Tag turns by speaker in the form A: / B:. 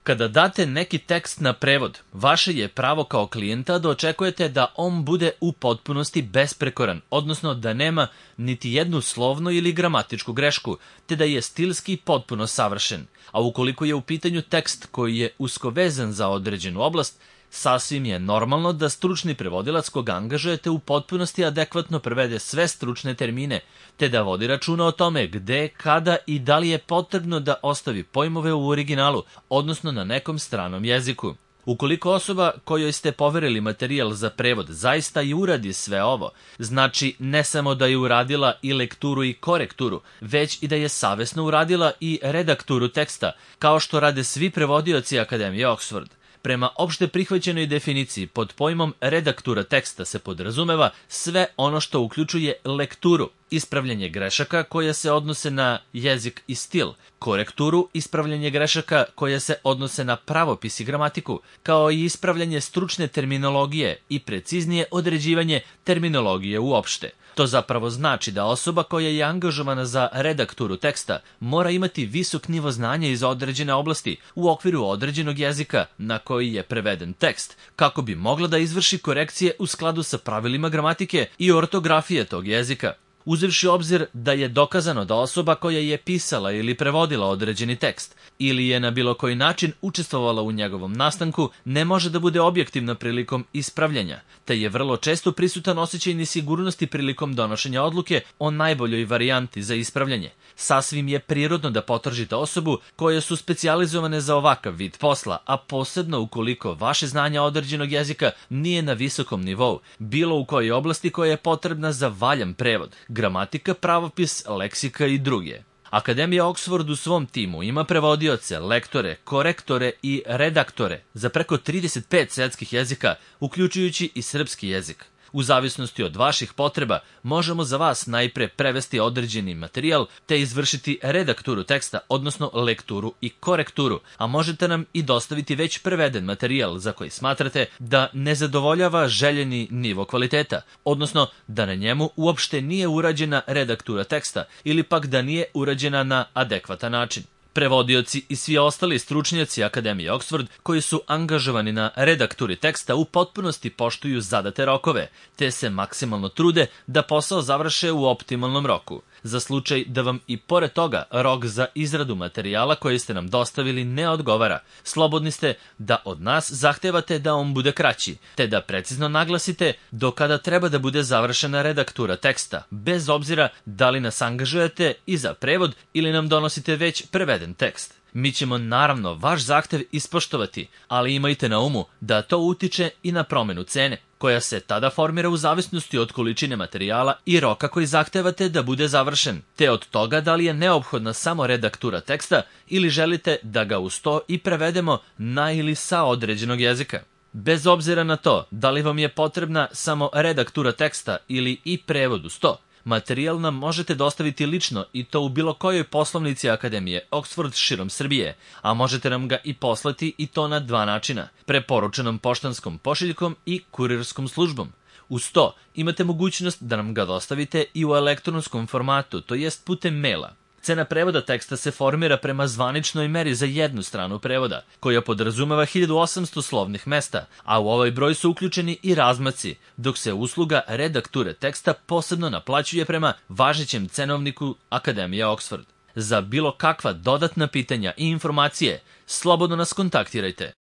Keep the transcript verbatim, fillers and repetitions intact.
A: Kada date neki tekst na prevod, vaše je pravo kao klijenta da očekujete da on bude u potpunosti besprekoran, odnosno da nema niti jednu slovnu ili gramatičku grešku, te da je stilski potpuno savršen. A ukoliko je u pitanju tekst koji je usko vezan za određenu oblast, sasvim je normalno da stručni prevodilac koga angažujete u potpunosti adekvatno prevede sve stručne termine, te da vodi računa o tome gde, kada i da li je potrebno da ostavi pojmove u originalu, odnosno na nekom stranom jeziku. Ukoliko osoba kojoj ste poverili materijal za prevod zaista i uradi sve ovo, znači ne samo da je uradila i lekturu i korekturu, već i da je savesno uradila i redakturu teksta, kao što rade svi prevodioci Akademije Oxford. Prema opšte prihvaćenoj definiciji, pod pojmom redaktura teksta se podrazumeva sve ono što uključuje lekturu, ispravljanje grešaka koje se odnose na jezik i stil, korekturu, ispravljanje grešaka koje se odnose na pravopis i gramatiku, kao i ispravljanje stručne terminologije i preciznije određivanje terminologije uopšte. To zapravo znači da osoba koja je angažovana za redakturu teksta mora imati visok nivo znanja iz određene oblasti u okviru određenog jezika na koji je preveden tekst, kako bi mogla da izvrši korekcije u skladu sa pravilima gramatike i ortografije tog jezika. Uzevši obzir da je dokazano da osoba koja je pisala ili prevodila određeni tekst ili je na bilo koji način učestvovala u njegovom nastanku ne može da bude objektivna prilikom ispravljanja, te je vrlo često prisutan osjećaj nesigurnosti prilikom donošenja odluke o najboljoj varijanti za ispravljanje. Sasvim je prirodno da potražite osobu koje su specijalizovane za ovakav vid posla, a posebno ukoliko vaše znanje određenog jezika nije na visokom nivou, bilo u kojoj oblasti koja je potrebna za valjan prevod, gramatika, pravopis, leksika i druge. Akademija Oxford u svom timu ima prevodioce, lektore, korektore i redaktore za preko trideset pet svetskih jezika, uključujući i srpski jezik. U zavisnosti od vaših potreba, možemo za vas najpre prevesti određeni materijal te izvršiti redakturu teksta, odnosno lekturu i korekturu, a možete nam i dostaviti već preveden materijal za koji smatrate da ne zadovoljava željeni nivo kvaliteta, odnosno da na njemu uopšte nije urađena redaktura teksta ili pak da nije urađena na adekvatan način. Prevodioci i svi ostali stručnjaci Akademije Oxford koji su angažovani na redakturi teksta u potpunosti poštuju zadate rokove, te se maksimalno trude da posao završe u optimalnom roku. Za slučaj da vam i pored toga rok za izradu materijala koji ste nam dostavili ne odgovara, slobodni ste da od nas zahtevate da on bude kraći, te da precizno naglasite do kada treba da bude završena redaktura teksta, bez obzira da li nas angažujete i za prevod ili nam donosite već preveden tekst. Mi ćemo naravno vaš zahtev ispoštovati, ali imajte na umu da to utiče i na promenu cene, koja se tada formira u zavisnosti od količine materijala i roka koji zahtevate da bude završen, te od toga da li je neophodna samo redaktura teksta ili želite da ga uz to i prevedemo na ili sa određenog jezika. Bez obzira na to da li vam je potrebna samo redaktura teksta ili i prevod uz to, materijal nam možete dostaviti lično i to u bilo kojoj poslovnici Akademije Oxford širom Srbije, a možete nam ga i poslati i to na dva načina, preporučenom poštanskom pošiljkom i kurirskom službom. Uz to imate mogućnost da nam ga dostavite i u elektronskom formatu, to jest putem maila. Cena prevoda teksta se formira prema zvaničnoj meri za jednu stranu prevoda, koja podrazumeva hiljadu osamsto slovnih mesta, a u ovaj broj su uključeni i razmaci, dok se usluga redakture teksta posebno naplaćuje prema važećem cenovniku Akademije Oxford. Za bilo kakva dodatna pitanja i informacije, slobodno nas kontaktirajte.